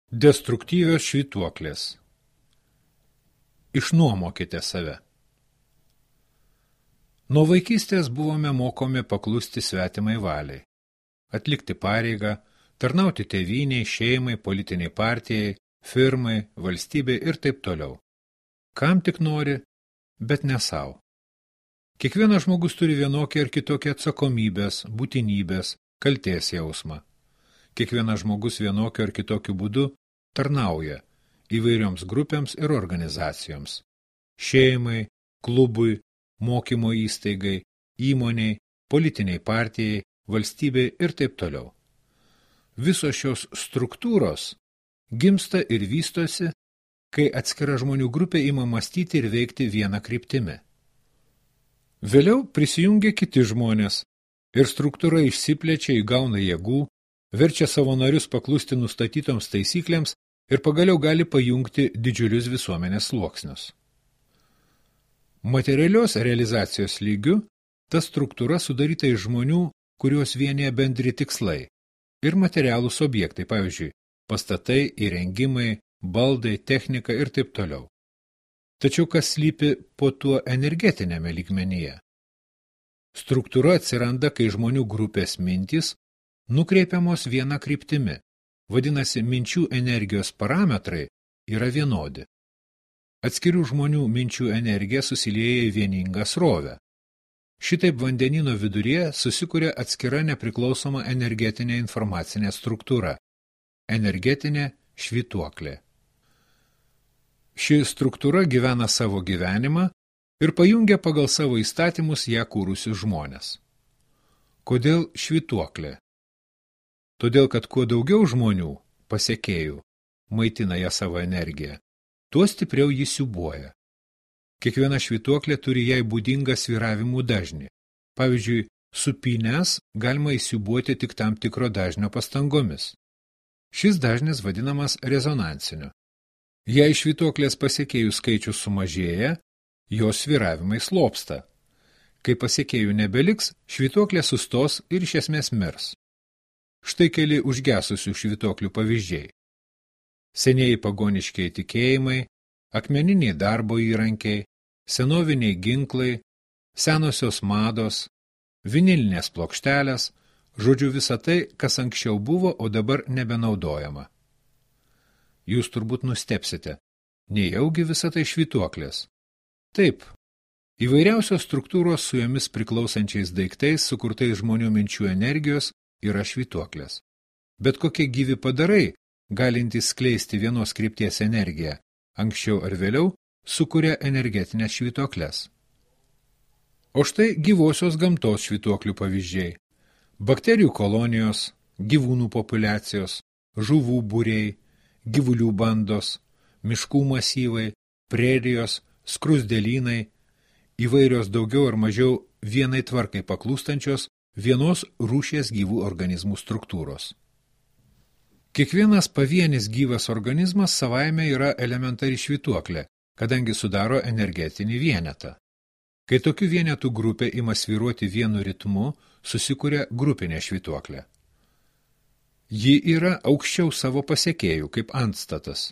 Destruktyvios švytuoklės. Išnuomokite save. Nuo vaikystės buvome mokomi paklusti svetimai valiai, atlikti pareigą, tarnauti tėvynei, šeimai, politiniai partijai, firmai, valstybei ir taip toliau. Kam tik nori, bet ne savo. Kiekvienas žmogus turi vienokį ar kitokį atsakomybės, būtinybės, kaltės jausmą. Kiekvienas žmogus vienokiu ar kitokiu būdu tarnauja įvairioms grupėms ir organizacijoms – šeimai, klubui, mokymo įstaigai, įmoniai, politiniai partijai, valstybei ir taip toliau. Visos šios struktūros gimsta ir vystosi, kai atskira žmonių grupė ima mąstyti ir veikti vieną kryptimi. Vėliau prisijungia kiti žmonės ir struktūra išsiplečia, įgauna jėgų, verčia savo narius paklusti nustatytoms taisyklėms ir pagaliau gali pajungti didžiulius visuomenės sluoksnius. Materialios realizacijos lygiu ta struktūra sudaryta iš žmonių, kuriuos vienija bendri tikslai ir materialūs objektai, pavyzdžiui, pastatai, įrengimai, baldai, technika ir taip toliau. Tačiau kas slypi po tuo energetinėme lygmenyje? Struktūra atsiranda, kai žmonių grupės mintys nukreipiamos viena kryptimi, vadinasi, minčių energijos parametrai yra vienodi. Atskirių žmonių minčių energija susilieja į vieningą srovę. Šitaip vandenyno viduryje susikuria atskira nepriklausoma energetinė informacinė struktūra – energetinė švytuoklė. Ši struktūra gyvena savo gyvenimą ir pajungia pagal savo įstatymus ją kūrusius žmones. Kodėl švytuoklė? Todėl, kad kuo daugiau žmonių, pasekėjų, maitina ją savo energiją, tuo stipriau jį siūbuoja. Kiekviena švytuoklė turi jai būdingą svyravimų dažnį. Pavyzdžiui, supynes galima įsiūbuoti tik tam tikro dažnio pastangomis. Šis dažnis vadinamas rezonansiniu. Jei švytuoklės pasekėjų skaičius sumažėja, jos svyravimai slopsta. Kai pasekėjų nebeliks, švytuoklė sustos ir iš esmės mirs. Štai keli užgesusių švytuoklių pavyzdžiai. Senieji pagoniškiai tikėjimai, akmeniniai darbo įrankiai, senoviniai ginklai, senosios mados, vinilinės plokštelės, žodžiu visa tai, kas anksčiau buvo, o dabar nebenaudojama. Jūs turbūt nustepsite, nejaugi visa tai švytuoklės. Taip, įvairiausios struktūros su jomis priklausančiais daiktais, sukurtais žmonių minčių energijos, yra švytuoklės. Bet kokie gyvi padarai, galintys skleisti vienos krypties energiją, anksčiau ar vėliau sukuria energetinės švytuoklės. O štai gyvosios gamtos švytuoklių pavyzdžiai. Bakterijų kolonijos, gyvūnų populiacijos, žuvų būriai, gyvulių bandos, miškų masyvai, prerijos, skruzdėlynai, įvairios daugiau ar mažiau vienai tvarkai paklūstančios vienos rūšies gyvų organizmų struktūros. Kiekvienas pavienis gyvas organizmas savaime yra elementari švytuoklė, kadangi sudaro energetinį vienetą. Kai tokių vienetų grupė ima svyruoti vienu ritmu, susikuria grupinė švytuoklė. Ji yra aukščiau savo pasekėjų, kaip antstatas.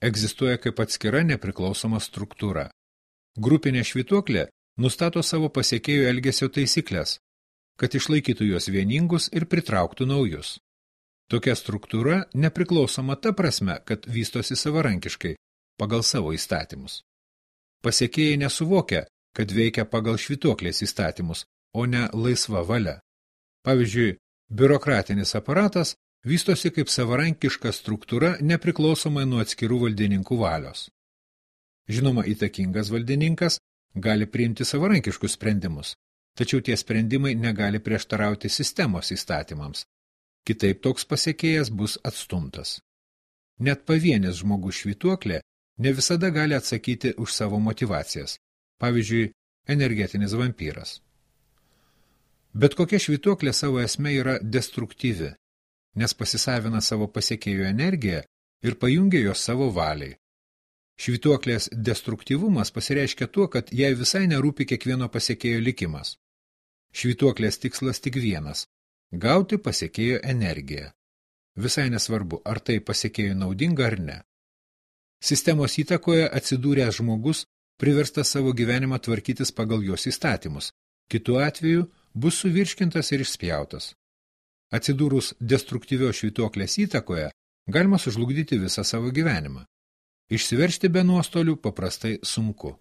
Egzistuoja kaip atskira nepriklausoma struktūra. Grupinė švytuoklė nustato savo pasekėjų elgesio taisyklės, kad išlaikytų juos vieningus ir pritrauktų naujus. Tokia struktūra nepriklausoma ta prasme, kad vystosi savarankiškai, pagal savo įstatymus. Pasekėjai nesuvokia, kad veikia pagal švytuoklės įstatymus, o ne laisva valia. Pavyzdžiui, biurokratinis aparatas vystosi kaip savarankiška struktūra nepriklausomai nuo atskirų valdininkų valios. Žinoma, įtakingas valdininkas gali priimti savarankiškus sprendimus, tačiau tie sprendimai negali prieštarauti sistemos įstatymams. Kitaip toks pasekėjas bus atstumtas. Net pavienis žmogus švytuoklė ne visada gali atsakyti už savo motivacijas, pavyzdžiui, energetinis vampyras. Bet kokia švytuoklė savo esme yra destruktyvi, nes pasisavina savo pasekėjų energiją ir pajungia jos savo valiai. Švytuoklės destruktyvumas pasireiškia tuo, kad jai visai nerūpi kiekvieno pasekėjo likimas. Švytuoklės tikslas tik vienas – gauti pasekėjo energiją. Visai nesvarbu, ar tai pasekėjų naudinga ar ne. Sistemos įtakoje atsidūręs žmogus priverstas savo gyvenimą tvarkytis pagal jos įstatymus. Kitu atveju bus suvirškintas ir išspjautas. Atsidūrus destruktyvios švytuoklės įtakoje, galima sužlugdyti visą savo gyvenimą. Išsiveršti be nuostolių paprastai sunku.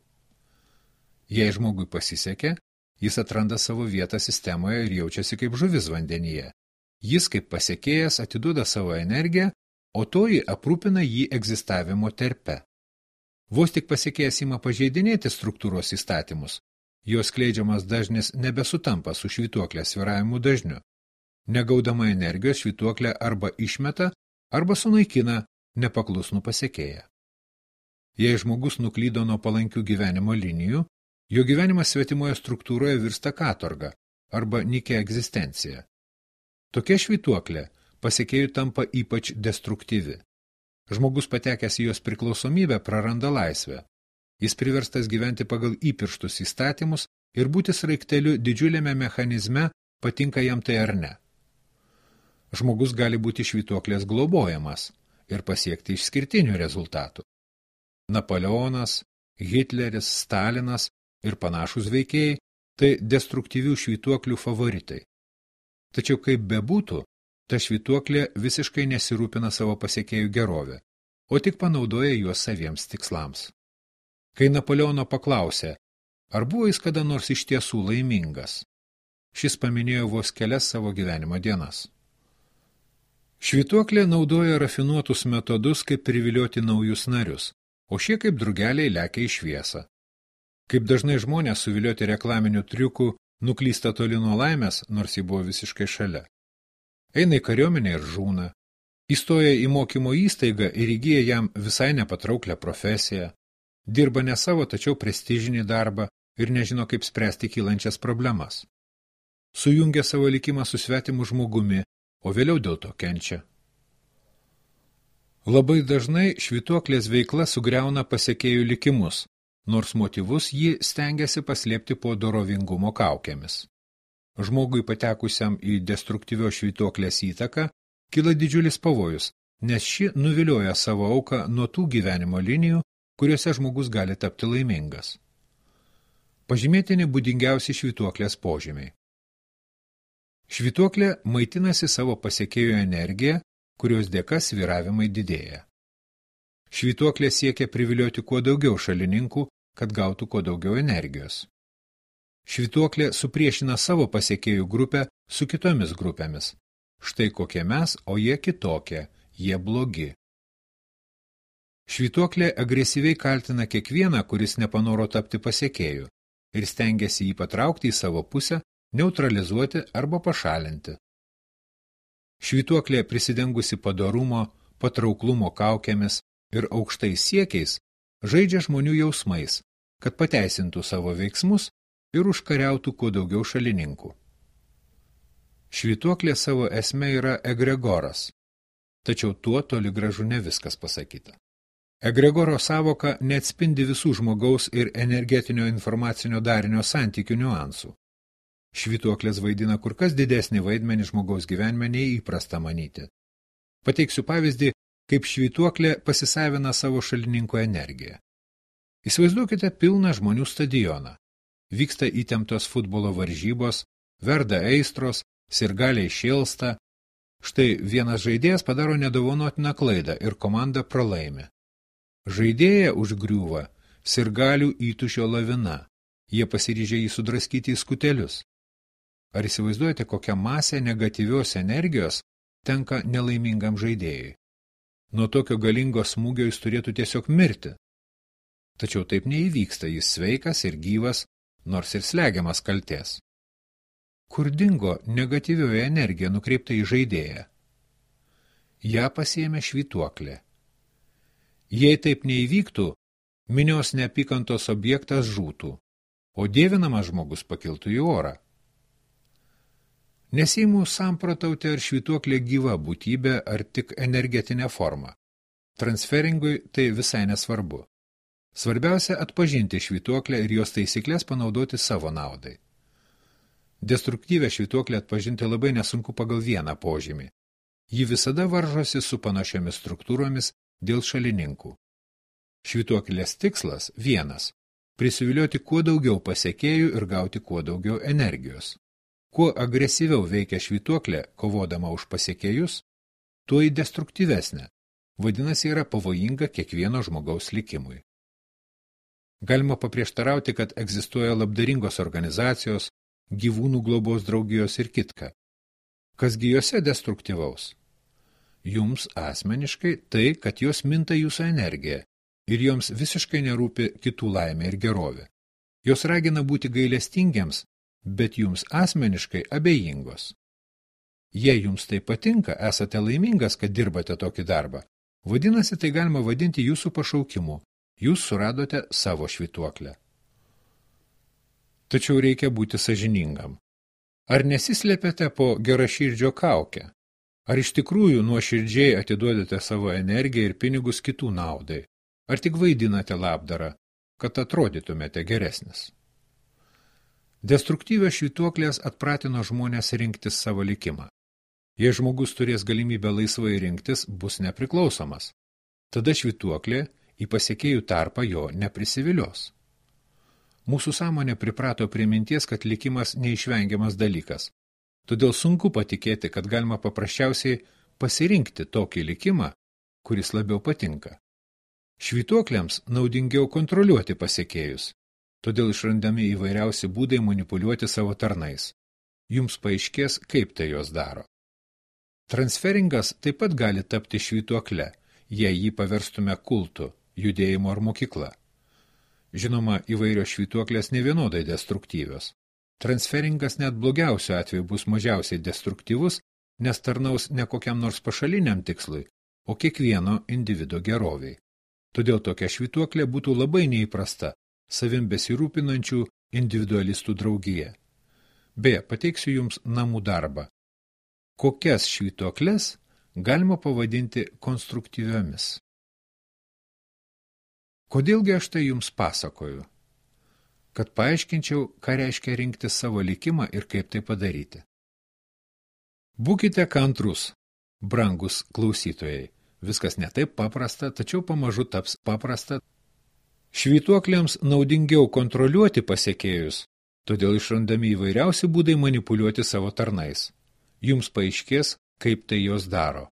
Jei žmogui pasisekė, jis atranda savo vietą sistemoje ir jaučiasi kaip žuvis vandenyje. Jis kaip pasekėjas atiduoda savo energiją, o toji aprūpina jį egzistavimo terpe. Vos tik pasekėjas ima pažeidinėti struktūros įstatymus, jos skleidžiamas dažnis nebesutampa su švytuoklės svyravimų dažniu. Negaudama energijos švytuoklė arba išmeta, arba sunaikina nepaklusnų pasekėją. Jei žmogus nuklydo nuo palankių gyvenimo linijų, jo gyvenimas svetimoje struktūroje virsta katorga arba nykia egzistencija. Tokia švytuoklė pasekėjų tampa ypač destruktyvi. Žmogus patekęs į jos priklausomybę praranda laisvę. Jis priverstas gyventi pagal įpirštus įstatymus ir būti sraigteliu didžiuliame mechanizme, patinka jam tai ar ne. Žmogus gali būti švytuoklės globojamas ir pasiekti išskirtinių rezultatų. Napoleonas, Hitleris, Stalinas ir panašūs veikėjai tai destruktyvių švytuoklių favoritai. Tačiau kaip bebūtų, ta švytuoklė visiškai nesirūpina savo pasekėjų gerovę, o tik panaudoja juos saviems tikslams. Kai Napoleono paklausė, ar buvo jis kada nors iš tiesų laimingas, šis paminėjo vos kelias savo gyvenimo dienas. Švytuoklė naudoja rafinuotus metodus, kaip privilioti naujus narius, o šie kaip drugeliai lekia į šviesą. Kaip dažnai žmonės suvilioti reklaminių triukų nuklysta toli nuo laimės, nors ji buvo visiškai šalia. Eina į kariuomenę ir žūna. Įstoja į mokymo įstaigą ir įgyja jam visai nepatrauklę profesiją. Dirba ne savo, tačiau prestižinį darbą ir nežino, kaip spręsti kylančias problemas. Sujungia savo likimą su svetimu žmogumi, o vėliau dėl to kenčia. Labai dažnai švytuoklės veikla sugriauna pasekėjų likimus, nors motyvus ji stengiasi paslėpti po dorovingumo kaukėmis. Žmogui patekusiam į destruktyvios švytuoklės įtaką kyla didžiulis pavojus, nes ši nuvilioja savo auką nuo tų gyvenimo linijų, kuriuose žmogus gali tapti laimingas. Pažymėtini būdingiausi švytuoklės požymiai. Švytuoklė maitinasi savo pasekėjų energiją, kurios dėka svyravimai didėja. Švytuoklė siekia privilioti kuo daugiau šalininkų, kad gautų kuo daugiau energijos. Švytuoklė supriešina savo pasekėjų grupę su kitomis grupėmis. Štai kokie mes, o jie kitokie, jie blogi. Švytuoklė agresyviai kaltina kiekvieną, kuris nepanoro tapti pasekėju, ir stengiasi jį patraukti į savo pusę, neutralizuoti arba pašalinti. Švytuoklė prisidengusi padorumo, patrauklumo kaukėmis ir aukštais siekiais žaidžia žmonių jausmais, kad pateisintų savo veiksmus ir užkariautų kuo daugiau šalininkų. Švytuoklė savo esme yra egregoras, tačiau tuo toli gražu ne viskas pasakyta. Egregoro sąvoka neatspindi visų žmogaus ir energetinio informacinio darinio santykių niuansų. Švytuoklės vaidina kur kas didesnį vaidmenį žmogaus gyvenime nei įprasta manyti. Pateiksiu pavyzdį, kaip švytuoklė pasisavina savo šalininko energiją. Įsivaizduokite pilną žmonių stadioną. Vyksta įtemptos futbolo varžybos, verda aistros, sirgaliai šėlsta. Štai vienas žaidėjas padaro nedovanotiną klaidą ir komanda pralaimi. Žaidėją užgriūva sirgalių įtūžio lavina. Jie pasiryžė jį sudraskyti į skutelius. Ar įsivaizduojate, kokią masę negatyvios energijos tenka nelaimingam žaidėjui? Nuo tokio galingo smūgio jis turėtų tiesiog mirti. Tačiau taip neįvyksta, jis sveikas ir gyvas, nors ir slegiamas kaltės. Kur dingo negatyvioji energija nukreipta į žaidėją? Ja pasiėmė švytuoklė. Jei taip neįvyktų, minios neapykantos objektas žūtų, o dievinamas žmogus pakiltų į orą. Nesiimu samprotauti, ar švytuoklė gyva būtybė, ar tik energetinė forma. Transferingui tai visai nesvarbu. Svarbiausia atpažinti švytuoklę ir jos taisyklės panaudoti savo naudai. Destruktyvę švytuoklę atpažinti labai nesunku pagal vieną požymį. Ji visada varžosi su panašiomis struktūromis dėl šalininkų. Švytuoklės tikslas vienas – prisivilioti kuo daugiau pasekėjų ir gauti kuo daugiau energijos. Kuo agresyviau veikia švytuoklė, kovodama už pasekėjus, tuo ji destruktyvesnė, vadinasi yra pavojinga kiekvieno žmogaus likimui. Galima paprieštarauti, kad egzistuoja labdaringos organizacijos, gyvūnų globos draugijos ir kitka. Kasgi jose destruktyvaus? Jums asmeniškai tai, kad jos minta jūsų energiją ir joms visiškai nerūpi kitų laimė ir gerovė. Jos ragina būti gailestingiems, bet jums asmeniškai abejingos. Jei jums tai patinka, esate laimingas, kad dirbate tokį darbą, vadinasi, tai galima vadinti jūsų pašaukimu. Jūs suradote savo švytuoklę. Tačiau reikia būti sąžiningam. Ar nesislepiate po geraširdžio kaukę? Ar iš tikrųjų nuoširdžiai atiduodate savo energiją ir pinigus kitų naudai? Ar tik vaidinate labdarą, kad atrodytumėte geresnis? Destruktyvios švytuoklės atpratino žmonės rinktis savo likimą. Jei žmogus turės galimybę laisvai rinktis, bus nepriklausomas. Tada švytuoklė į pasekėjų tarpą jo neprisivilios. Mūsų sąmonė priprato prie minties, kad likimas neišvengiamas dalykas. Todėl sunku patikėti, kad galima paprasčiausiai pasirinkti tokį likimą, kuris labiau patinka. Švytuoklėms naudingiau kontroliuoti pasekėjus, todėl išrandami įvairiausi būdai manipuliuoti savo tarnais. Jums paaiškės, kaip tai jos daro. Transferingas taip pat gali tapti švytuokle, jei jį paverstume kultu, judėjimo ar mokykla. Žinoma, įvairios švytuoklės nevienodai destruktyvios. Transferingas net blogiausiu atveju bus mažiausiai destruktyvus, nes tarnaus ne kokiam nors pašaliniam tikslui, o kiekvieno individo geroviai. Todėl tokia švytuoklė būtų labai neįprasta savim besirūpinančių individualistų draugija. Beje, pateiksiu jums namų darbą. Kokias švytuokles galima pavadinti konstruktyviomis? Kodėlgi aš tai jums pasakoju? Kad paaiškinčiau, ką reiškia rinkti savo likimą ir kaip tai padaryti. Būkite kantrus, brangus klausytojai. Viskas ne taip paprasta, tačiau pamažu taps paprasta. Švytuoklėms naudingiau kontroliuoti pasekėjus, todėl išrandami įvairiausi būdai manipuliuoti savo tarnais. Jums paaiškės, kaip tai jos daro.